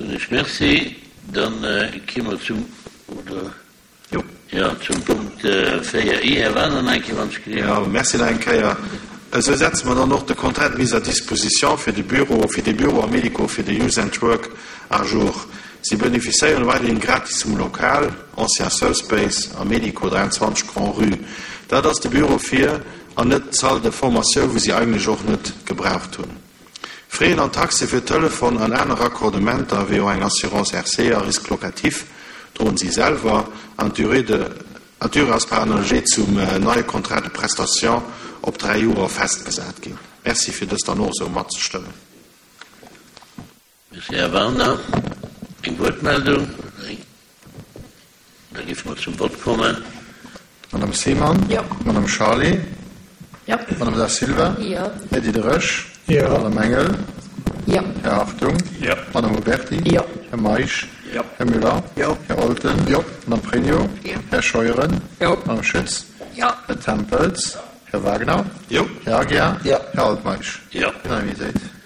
Soen ech Merci. Dann gi mer zum, oder? Jo. Jo, zum Punkt 4 I. Här Wagner, nach eng Kéier, wann ech gleewen. Jo, merci nach eng Kéier. Esou setze mer dann och de Contrat de mise à disposition fir de Büro, fir dee Büro am Médico fir de Youth and Work à jour. Si benefisséieren weiderhin gratis vum Lokal, ancien Surfspace am Médico, 23 Grand-Rue. Dat ass de Büro fir, an net d'Salle de formation, wou si eigentlech och net gebraucht hunn. Frais an Taxe fir Telefon an aner Raccordementer, wéi och eng Assurance RC a Risque locatif, droen si selwer, an d'Durée de an d'Durée ass par analogie zum neie Contrat de prestation op 3 Joer festgesat ginn. Merci fir dëst dann och esou matzestëmmen. Merci, Här Wagner. Eng Wuertmeldung? Da géife mer zum Vott kommen. Madame Seemann? Jo. Madame Charlé? Jo. Madame Da Silva? Jo. Här Diderich? Jo. Madame Engel? Jo. Här Hartung? Jo. Madame Huberty? Jo. Här Meisch? Jo. Här Müller? Jo. Här Olten? Jo. Madame Pregno? Jo. Här Scheuren? Jo. Madame Schütz? Jo. Här Tempels? Här Wagner? Jo. Här Aguiar? Jo. Här Altmeisch? Jo. Unanimitéit.